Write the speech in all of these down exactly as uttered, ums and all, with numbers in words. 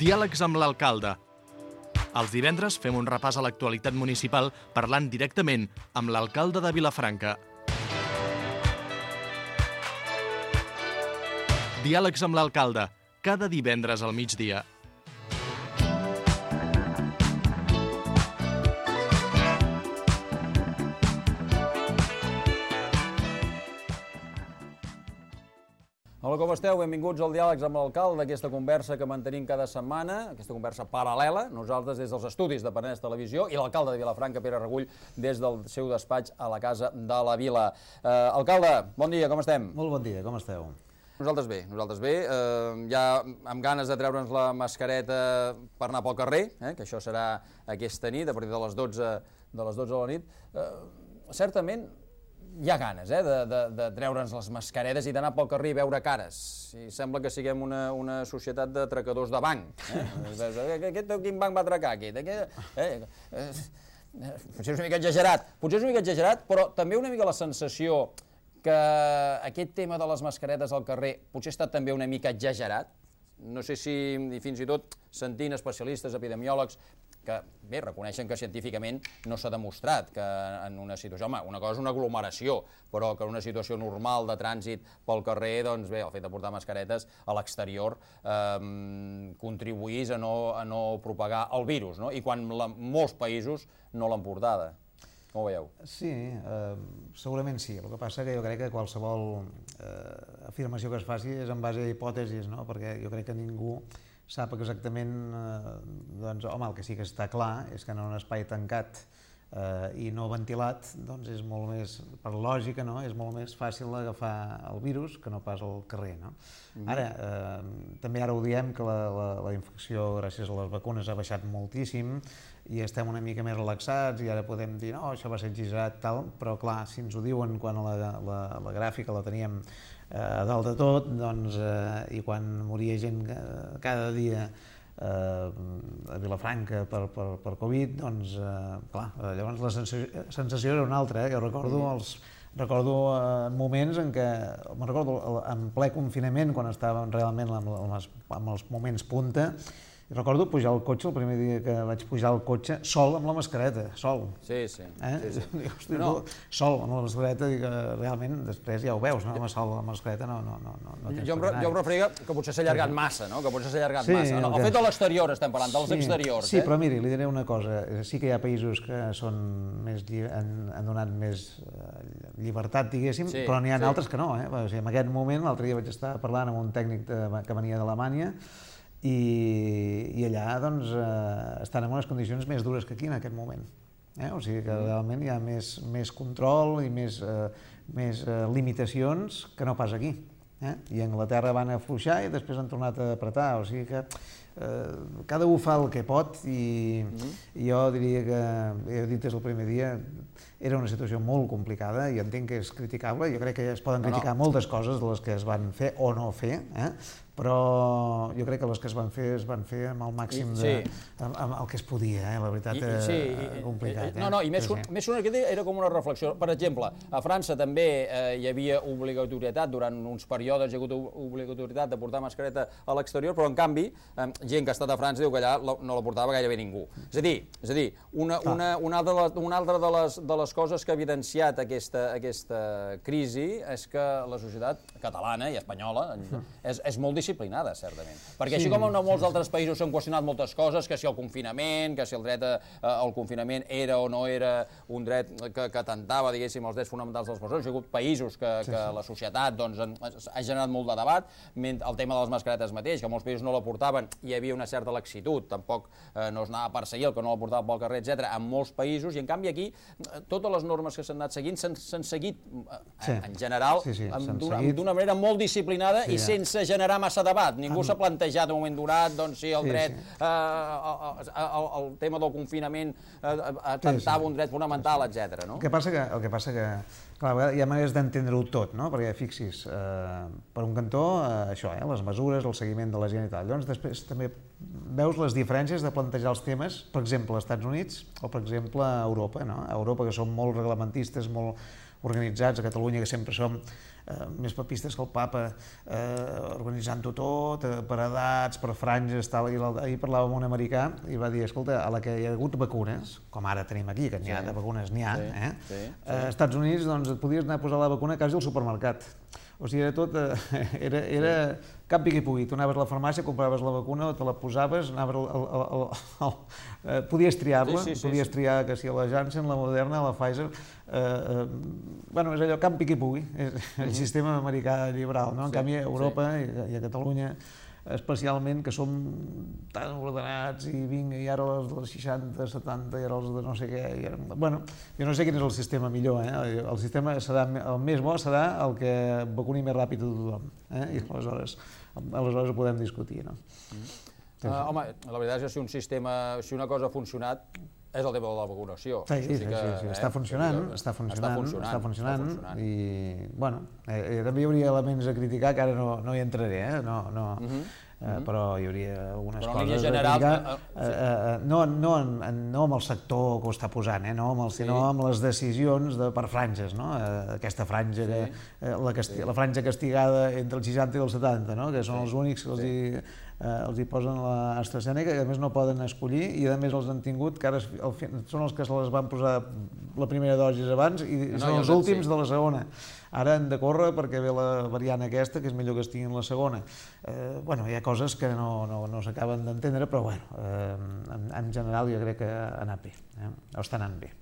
Diàlegs amb l'alcalde. Els divendres fem un repàs a l'actualitat municipal parlant directament amb l'alcalde de Vilafranca. Diàlegs amb l'alcalde, cada divendres al migdia. Hola, com esteu? Benvinguts al Diàlegs amb l'alcalde, aquesta conversa que mantenim cada setmana, aquesta conversa paral·lela, nosaltres des dels estudis de Penedès Televisió i l'alcalde de Vilafranca, Pere Regull, des del seu despatx a la Casa de la Vila. Eh, alcalde, bon dia, com estem? Molt bon dia, com esteu? Nosaltres bé, nosaltres bé, eh, ja amb ganes de treure'ns la mascareta per anar pel carrer, eh, que això serà aquesta nit, a partir de les dotze de les dotze de la nit. Eh, certament, hi ha ganes eh, de, de, de treure'ns les mascaretes i d'anar pel carrer i veure cares. I sembla que siguem una, una societat de tracadors de banc. Eh? Aquest, quin banc va atracar aquest? Aquest eh, eh, eh, potser és una mica exagerat, potser és una mica exagerat, però també una mica la sensació que aquest tema de les mascaretes al carrer potser ha estat també una mica exagerat. No sé si, fins i tot, sentint especialistes, epidemiòlegs, que bé, reconeixen que científicament no s'ha demostrat que en una situació, home, una cosa és una aglomeració, però que en una situació normal de trànsit pel carrer, doncs bé, el fet de portar mascaretes a l'exterior eh, contribuís a no, a no propagar el virus, no? I quan la, molts països no l'han portada. Com ho veieu? Sí, eh, segurament sí. El que passa que jo crec que qualsevol eh, afirmació que es faci és en base a hipòtesis, no? Perquè jo crec que ningú sap exactament, eh, doncs, home, el que sí que està clar és que en un espai tancat eh, i no ventilat, doncs és molt més, per lògica, no? És molt més fàcil agafar el virus que no pas al carrer, no? Mm-hmm. Ara, eh, també ara ho diem que la, la, la infecció gràcies a les vacunes ha baixat moltíssim i estem una mica més relaxats i ara podem dir, no, això va ser exagerat, tal, però clar, si ens ho diuen quan la, la, la gràfica la teníem a dalt de tot, doncs, eh, i quan moria gent cada dia eh, a Vilafranca per, per, per Covid, doncs, eh, clar, llavors la sensació, sensació era una altra, eh? Jo recordo els recordo eh, moments en què, me'n recordo en ple confinament, quan estàvem realment amb, amb, les, amb els moments punta, i recordo pujar al cotxe, el primer dia que vaig pujar al cotxe, sol amb la mascareta, sol. Sí, sí. Eh? sí, sí. Dic, hosti, no. Sol amb la mascareta, i realment després ja ho veus, no? Sol amb la mascareta no, no, no, no tens jo, em, jo em referia que potser s'ha allargat massa, no? Que potser s'ha allargat sí, massa. No, el fet de l'exterior estem parlant, dels sí, exteriors. Sí, eh? però miri, li diré una cosa. Sí que hi ha països que són més, han, han donat més llibertat, diguéssim, sí, però n'hi ha sí. altres que no. Eh? O sigui, en aquest moment, l'altre dia vaig estar parlant amb un tècnic de, que venia d'Alemanya, I, i allà doncs, eh, estan en unes condicions més dures que aquí en aquest moment. Eh? O sigui que realment hi ha més, més control i més, eh, més eh, limitacions que no pas aquí. Eh? I a Anglaterra van afluixar i després han tornat a apretar. O sigui que eh, cada un fa el que pot i, mm-hmm. i jo diria que, he dit des del primer dia, era una situació molt complicada i entenc que és criticable. Jo crec que es poden criticar no, no. moltes coses de les que es van fer o no fer, eh? Però jo crec que les que es van fer es van fer amb el màxim de... Sí. Amb, amb el que es podia, eh? La veritat, I, sí, eh, complicat. No, no, i més, sí, sí. més una que era com una reflexió. Per exemple, a França també eh, hi havia obligatorietat, durant uns períodes hi ha hagut obligatorietat de portar mascareta a l'exterior, però en canvi, eh, gent que ha estat a França diu que allà no la portava gairebé ningú. És a dir, és a dir una, una, una, altra, una altra de les, de les coses que ha evidenciat aquesta, aquesta crisi és que la societat catalana i espanyola és, és molt disciplinada, certament. Perquè sí, així com en molts altres països s'han qüestionat moltes coses, que si el confinament, que si el dret a, al confinament era o no era un dret que, que atentava, diguéssim, els drets fonamentals de les persones, hi ha hagut països que, sí, sí. que la societat doncs, ha generat molt de debat, el tema de les mascaretes mateix, que molts països no la portaven, hi havia una certa laxitud, tampoc eh, no es anava a perseguir el que no la portava pel carrer, etcètera, en molts països, i en canvi aquí totes les normes que s'han anat seguint s'han seguit, sí. en general, sí, sí, d'una manera molt disciplinada sí, i sense generar massa debat. Ningú s'ha plantejat en un moment donat doncs, si el dret, sí, sí. Eh, el, el tema del confinament eh, atentava sí, sí. un dret fonamental, etcètera. No? El que passa que, el que, passa que clar, hi ha maneres d'entendre-ho tot, no? Perquè fixis, eh, per un cantó, eh, això, eh, les mesures, el seguiment de la gent i tal. Llavors després també veus les diferències de plantejar els temes, per exemple, als Estats Units o per exemple a Europa, no? A Europa, que són molt reglamentistes, molt organitzats a Catalunya, que sempre som més papistes que el papa, organitzant-ho tot, per edats, per franges, tal. Ahir parlava amb un americà i va dir, escolta, a la que hi ha hagut vacunes, com ara tenim aquí, que n'hi ha de vacunes, n'hi ha, eh? Als Estats Units doncs, et podies anar a posar la vacuna quasi al supermercat. O sigui, era tot, era, era cap pic i pugui. Tu anaves a la farmàcia, compraves la vacuna, te la posaves, anaves al, al, al, al, al, podies triar-la, sí, sí, sí, podies sí. triar que si la Janssen, la Moderna, la Pfizer, eh, eh, bueno, és allò, cap pic i pugui, és el sistema americà liberal, no? En sí, canvi, a Europa sí. i a Catalunya, especialment, que som tan ordenats i vinga, i ara els dels seixanta, setanta, i ara els de no sé què... I ara... Bueno, jo no sé quin és el sistema millor, eh? El sistema serà, el més bo serà el que vacuni més ràpid a tothom, eh? I aleshores, aleshores ho podem discutir, no? Mm. Uh, home, la veritat és que si un sistema, si una cosa ha funcionat, és el tema de la vacunació. Sí, sí, sí, sí, sí. Eh? Està funcionant, està funcionant, està funcionant, i, bueno, eh, també hi hauria elements a criticar que ara no, no hi entraré, eh? No, no, uh -huh. eh, però hi hauria algunes però coses general, a criticar, eh, sí. eh, no, no, no amb el sector que ho està posant, eh? No amb el, sinó sí. amb les decisions de, per franges, no? Eh, aquesta franja, sí. que, eh, la, casti sí. la franja castigada entre el seixanta i el setanta, no? Que són sí. els únics que els sí. hi... Eh, els hi posen l'AstraZeneca, que a més no poden escollir, i a més els han tingut, que ara el, són els que se les van posar la primera dosi abans i no, són els últims sí. de la segona. Ara han de córrer perquè ve la variant aquesta, que és millor que estiguin la segona. Eh, bueno, hi ha coses que no, no, no s'acaben d'entendre, però bueno, eh, en, en general jo crec que ha anat bé, eh? o està anant bé.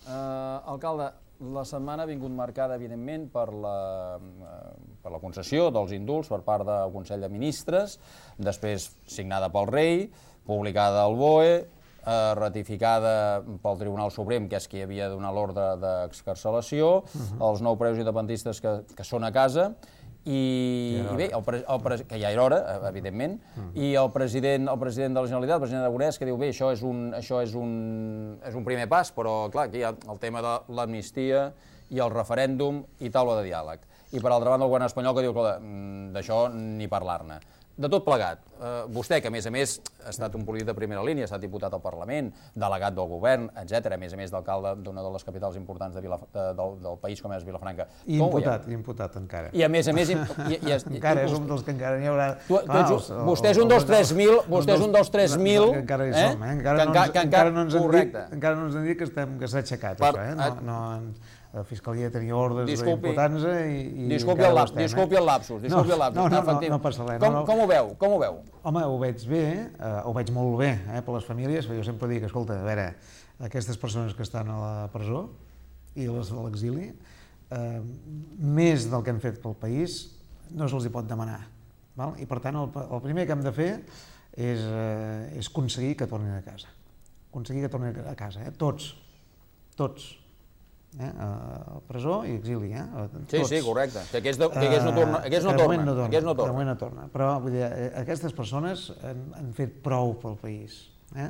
Uh, alcalde, la setmana ha vingut marcada, evidentment, per la, per la concessió dels indults per part del Consell de Ministres, després signada pel rei, publicada al B O E, eh, ratificada pel Tribunal Suprem, que és qui havia de donar l'ordre d'excarcelació, uh-huh. els nou presos independentistes que, que són a casa, i, ja i bé, el pre, el pre, que ja era hora, evidentment, uh-huh. i el president, el president de la Generalitat, el president Aragonès, que diu, bé, això és un, això és un, és un primer pas, però clar, aquí hi ha el tema de l'amnistia i el referèndum i taula de diàleg. I per altra banda el govern espanyol que diu que d'això ni parlar-ne. De tot plegat, eh, vostè, que a més a més ha estat un polític de primera línia, ha estat diputat al Parlament, delegat del govern, etcètera, a més a més d'alcalde d'una de les capitals importants de Vila, de, del, del país com és Vilafranca. I imputat, i imputat encara. I a més a més... I, i, i, encara és un dels que encara n'hi haurà... Tu, tu ets, els, vostè és un dels tres mil, vostè és un dels tres mil... Encara hi som, eh? Encara no ens han dit que s'ha aixecat, això, eh? No, no, la Fiscalia tenia ordres d'imputar-nos i... Disculpi el lapsus, disculpi el lapsus. No, no, no, no passa res. Com ho veu? Com ho veu? Home, ho veig bé, ho veig molt bé per les famílies, perquè jo sempre dic, escolta, a veure, aquestes persones que estan a la presó i les de l'exili, més del que han fet pel país no se'ls hi pot demanar. I per tant, el primer que hem de fer és aconseguir que tornin a casa. Aconseguir que tornin a casa, tots, tots. Eh, a presó i exili, eh? Sí, sí, correcte. Que aquests no tornen. Aquests no tornen. De moment no torna. Però vull dir, aquestes persones han, han fet prou pel país. Eh?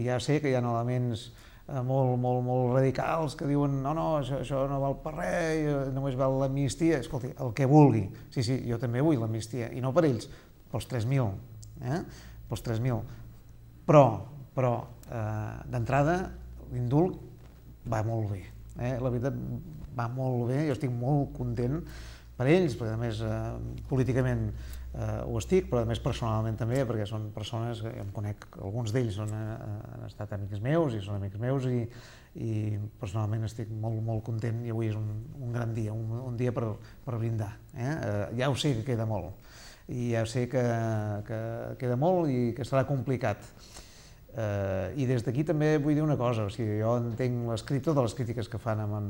Ja sé que hi ha elements molt, molt, molt radicals que diuen no, no, això, això no val per res, només val l'amnistia. Escolti, el que vulgui. Sí, sí, jo també vull l'amnistia. I no per ells, pels tres mil. Eh? Pels tres mil. Però, però eh, d'entrada, l'indult va molt bé. Eh, la veritat va molt bé, jo estic molt content per ells, perquè a més eh, políticament eh, ho estic, però a més personalment també, perquè són persones que jo em conec, alguns d'ells han, han estat amics meus i són amics meus i, i personalment estic molt, molt content i avui és un, un gran dia, un, un dia per, per brindar. Eh? Eh, ja ho sé que queda molt i ja sé que, que queda molt i que serà complicat. Uh, I des d'aquí també vull dir una cosa, o sigui, jo entenc l'escrit, totes les crítiques que fan amb, en,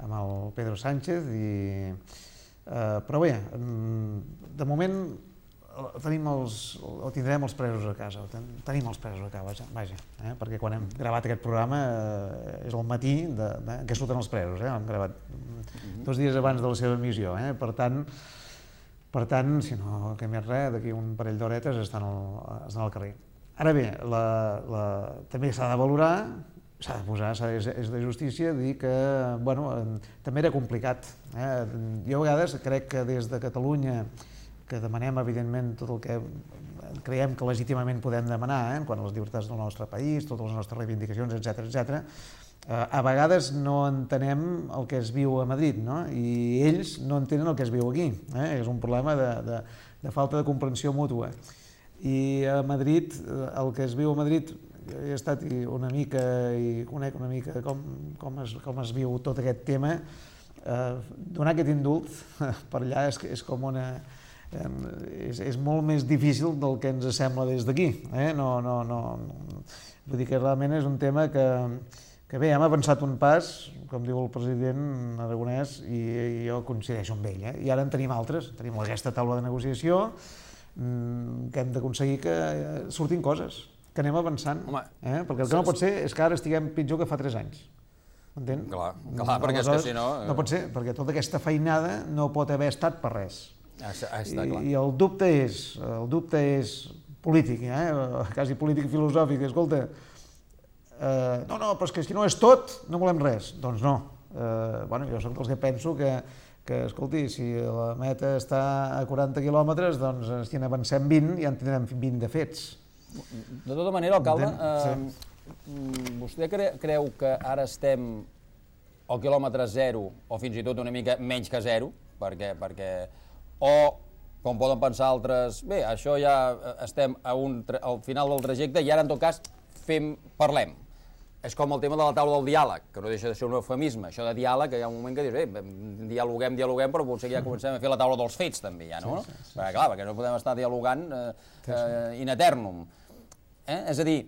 amb el Pedro Sánchez, i, uh, però bé, de moment tenim els, o tindrem els presos a casa, ten, tenim els presos a casa, vaja, eh, perquè quan hem gravat aquest programa uh, és el matí de, de, que surten els presos, eh, hem gravat mm-hmm. dos dies abans de la seva emissió, eh, per tant, per tant, si no que més res, d'aquí un parell d'horetes estan, al, estan al carrer. Ara bé, la, la, també s'ha de valorar, s'ha de posar, és, és de justícia dir que bueno, també era complicat. Eh? Jo a vegades crec que des de Catalunya, que demanem evidentment tot el que creiem que legítimament podem demanar, eh? Quant a les llibertats del nostre país, totes les nostres reivindicacions, etcètera, etcètera, a vegades no entenem el que es viu a Madrid, no? I ells no entenen el que es viu aquí. Eh? És un problema de, de, de falta de comprensió mútua. I a Madrid, el que es viu a Madrid, he estat una mica i conec una mica com, com, es, com es viu tot aquest tema, eh, donar aquest indult per allà és, és com una... És, és molt més difícil del que ens sembla des d'aquí. Eh? No, no, no, vull dir que realment és un tema que, que bé, hem avançat un pas, com diu el president Aragonès, i, i jo coincideixo amb ell. Eh? I ara en tenim altres, tenim aquesta taula de negociació, que hem d'aconseguir que surtin coses, que anem avançant. Home, eh? Perquè el que no pot ser és que ara estiguem pitjor que fa tres anys. M'entén? Clar, clar, perquè és que si no... No pot ser, perquè tota aquesta feinada no pot haver estat per res. Ah, està clar. I, i el dubte és, el dubte és polític, eh? Quasi polític filosòfic. Escolta, eh, no, no, però és que si no és tot, no volem res. Doncs no. Eh, bueno, jo soc dels que penso que, que, escolti, si la meta està a quaranta quilòmetres, doncs si en avancem vint, ja en tindrem vint de fets. De tota manera, alcalde, eh, vostè cre creu que ara estem al quilòmetre zero, o fins i tot una mica menys que zero, perquè, perquè o, com poden pensar altres, bé, això ja estem a un, al final del trajecte i ara, en tot cas, fem, parlem. És com el tema de la taula del diàleg, que no deixa de ser un eufemisme. Això de diàleg, que hi ha un moment que dius, bé, dialoguem, dialoguem, però potser ja comencem a fer la taula dels fets, també, ja, no? Sí, sí, sí. Perquè, clar, perquè no podem estar dialogant eh, eh, in eternum. Eh? És a dir,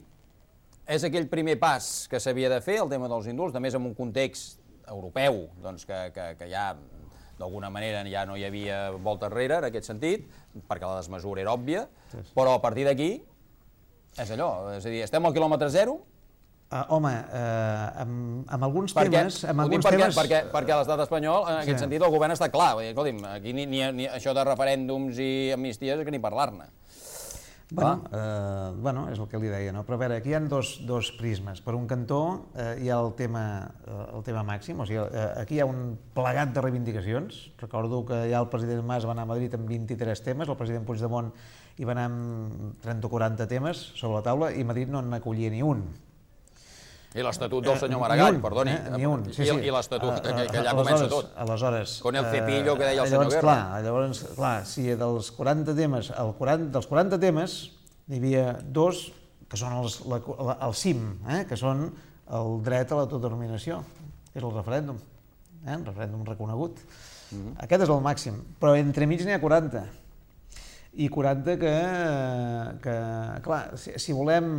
és aquell primer pas que s'havia de fer, el tema dels indults, també en un context europeu, doncs, que, que, que ja, d'alguna manera, ja no hi havia volta enrere, en aquest sentit, perquè la desmesura era òbvia, sí, sí. Però a partir d'aquí, és allò, és a dir, estem al quilòmetre zero. Uh, home, uh, amb, amb alguns perquè, temes... Amb alguns perquè, temes... perquè, perquè a l'estat espanyol, en aquest sí. sentit, el govern està clar. Escolti'm, aquí ni, ni, ni això de referèndums i amnisties és que ni parlar-ne. Bueno, eh, bueno, és el que li deia, no? Però a veure, aquí hi ha dos, dos prismes. Per un cantó eh, hi ha el tema, eh, el tema màxim, o sigui, eh, aquí hi ha un plegat de reivindicacions. Recordo que ja el president Mas va anar a Madrid amb vint-i-tres temes, el president Puigdemont hi va anar amb trenta o quaranta temes sobre la taula i Madrid no n'acollia ni un. I l'estatut del senyor Maragall, un, perdoni. Eh, ni un, sí, sí. I, i l'estatut, que, que allà comença tot. Aleshores... Con el cepillo que deia el senyor llavors, Guerra. Clar, llavors, clar, si dels quaranta temes, el quaranta, dels quaranta temes, hi havia dos que són els, la, la, el cim, eh, que són el dret a l'autodeterminació, que és el referèndum, eh, un referèndum reconegut. Mm-hmm. Aquest és el màxim, però entremig n'hi ha quaranta. I quaranta que, que clar, si, si volem...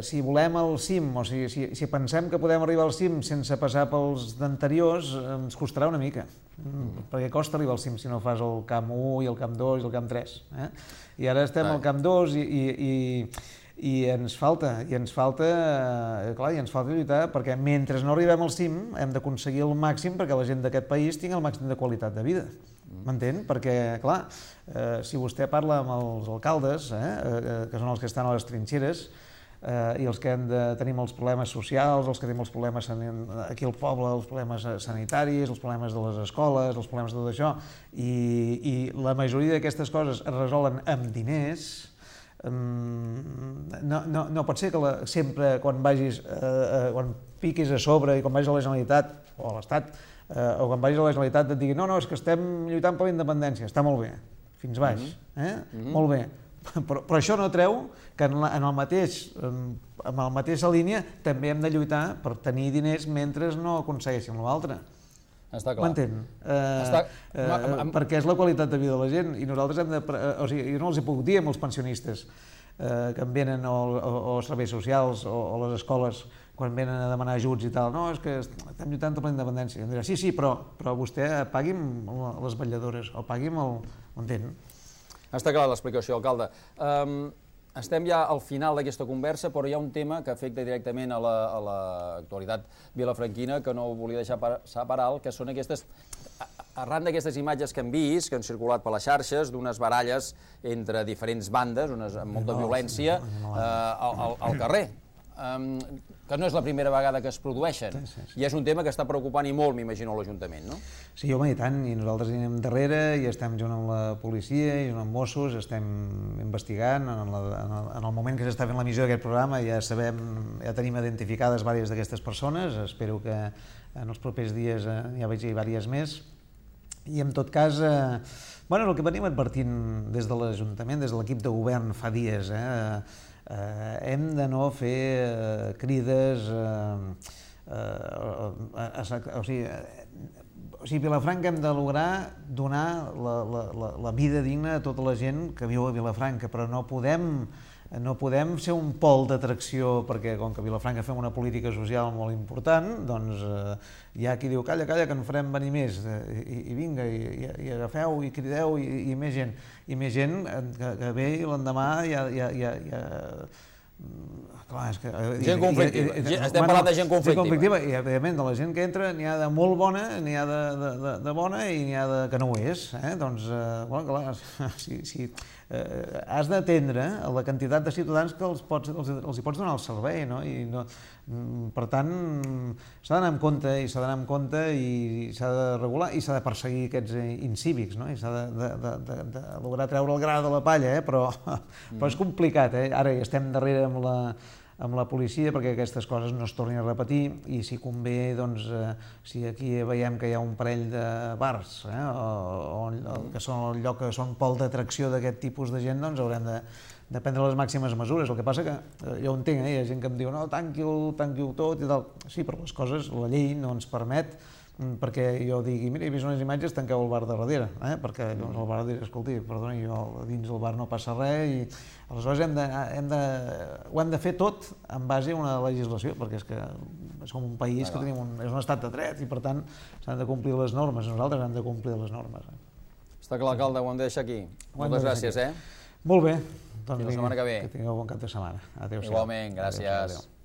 Si volem el cim, o si, si, si pensem que podem arribar al cim sense passar pels d'anteriors, ens costarà una mica, mm. perquè costa arribar al cim si no fas el camp u i el camp dos i el camp tres. Eh? I ara estem Ai. al camp dos i, i, i, i ens falta, i ens falta, eh, clar, i ens falta lluitar, perquè mentre no arribem al cim hem d'aconseguir el màxim perquè la gent d'aquest país tingui el màxim de qualitat de vida. M'entén? Perquè, clar, eh, si vostè parla amb els alcaldes, eh, eh, que són els que estan a les trinxeres, Uh, i els que hem de tenir els problemes socials, els que tenim els problemes aquí al poble, els problemes sanitaris, els problemes de les escoles, els problemes de tot això, i, i la majoria d'aquestes coses es resolen amb diners. Um, no, no, no pot ser que la, sempre quan vagis, uh, uh, quan piquis a sobre i quan vagis a la Generalitat o a l'Estat, uh, o quan vagis a la Generalitat et digui no, no, és que estem lluitant per la independència, està molt bé, fins baix, eh? Mm-hmm. Molt bé. Però, però això no treu que en, la, en, el mateix, en, en la mateixa línia també hem de lluitar per tenir diners mentre no aconsegueixin l'altre. Està clar. M'entén? Eh, Està... eh, amb, amb... Perquè és la qualitat de vida de la gent i nosaltres hem de... O sigui, jo no els he pogut dir amb els pensionistes eh, que em venen o, o, o serveis socials o, o les escoles quan venen a demanar ajuts i tal. No, és que estem lluitant per la independència. I em dirà, sí, sí, però, però vostè pagui'm les vetlladores o pagui'm el... M'entén? Està clar l'explicació, alcalde. Um, estem ja al final d'aquesta conversa, però hi ha un tema que afecta directament a l'actualitat vilafranquina que no volia deixar passar per alt, que són aquestes... Arran d'aquestes imatges que hem vist, que han circulat per les xarxes, d'unes baralles entre diferents bandes, unes, amb molta violència, eh, al, al carrer. que no és la primera vegada que es produeixen, i és un tema que està preocupant i molt, m'imagino, l'Ajuntament, no? Sí, home, i tant, i nosaltres hi anem darrere, i estem junt amb la policia, i junt amb Mossos, estem investigant, en el moment que s'està fent l'emissió d'aquest programa ja sabem, ja tenim identificades diverses d'aquestes persones, espero que en els propers dies ja vegi diverses més, i en tot cas, bueno, el que venim advertint des de l'Ajuntament, des de l'equip de govern fa dies, eh, hem de no fer crides, o sigui, o sigui, a Vilafranca hem de lograr donar la vida digna a tota la gent que viu a Vilafranca, però no podem no podem ser un pol d'atracció, perquè com que a Vilafranca fem una política social molt important, doncs hi ha qui diu calla, calla, que en farem venir més, i vinga, i agafeu, i crideu, i més gent, i més gent que ve i l'endemà ja... Gent conflictiva, estem parlant de gent conflictiva. I evidentment de la gent que entra n'hi ha de molt bona, n'hi ha de bona i n'hi ha de que no ho és. Doncs, clar, si has d'atendre la quantitat de ciutadans que els hi pots donar el servei, no? Per tant, s'ha d'anar amb compte i s'ha d'anar amb compte i s'ha de regular i s'ha de perseguir aquests incívics, no? I s'ha de lograr treure el gra de la palla, però és complicat, eh? Ara hi estem darrere amb la amb la policia perquè aquestes coses no es tornin a repetir, i si convé, doncs, si aquí veiem que hi ha un parell de bars que són el lloc que són pol d'atracció d'aquest tipus de gent, doncs haurem de prendre les màximes mesures. El que passa que, jo ho entenc, hi ha gent que em diu no, tanqui-ho, tanqui-ho tot i tal. Sí, però les coses, la llei no ens permet perquè jo digui, mira, he vist unes imatges, tanqueu el bar de darrere, perquè el bar dirà, escolti, perdoni, jo dins del bar no passa res, i aleshores ho hem de fer tot en base a una legislació, perquè és que som un país que tenim és un estat de dret, i per tant s'han de complir les normes, nosaltres hem de complir les normes. Està clar, alcalde, ho hem de deixar aquí. Moltes gràcies, eh? Molt bé. Fins la setmana que ve. Que tingueu bon cap de setmana. Adéu-siau. Igualment, gràcies.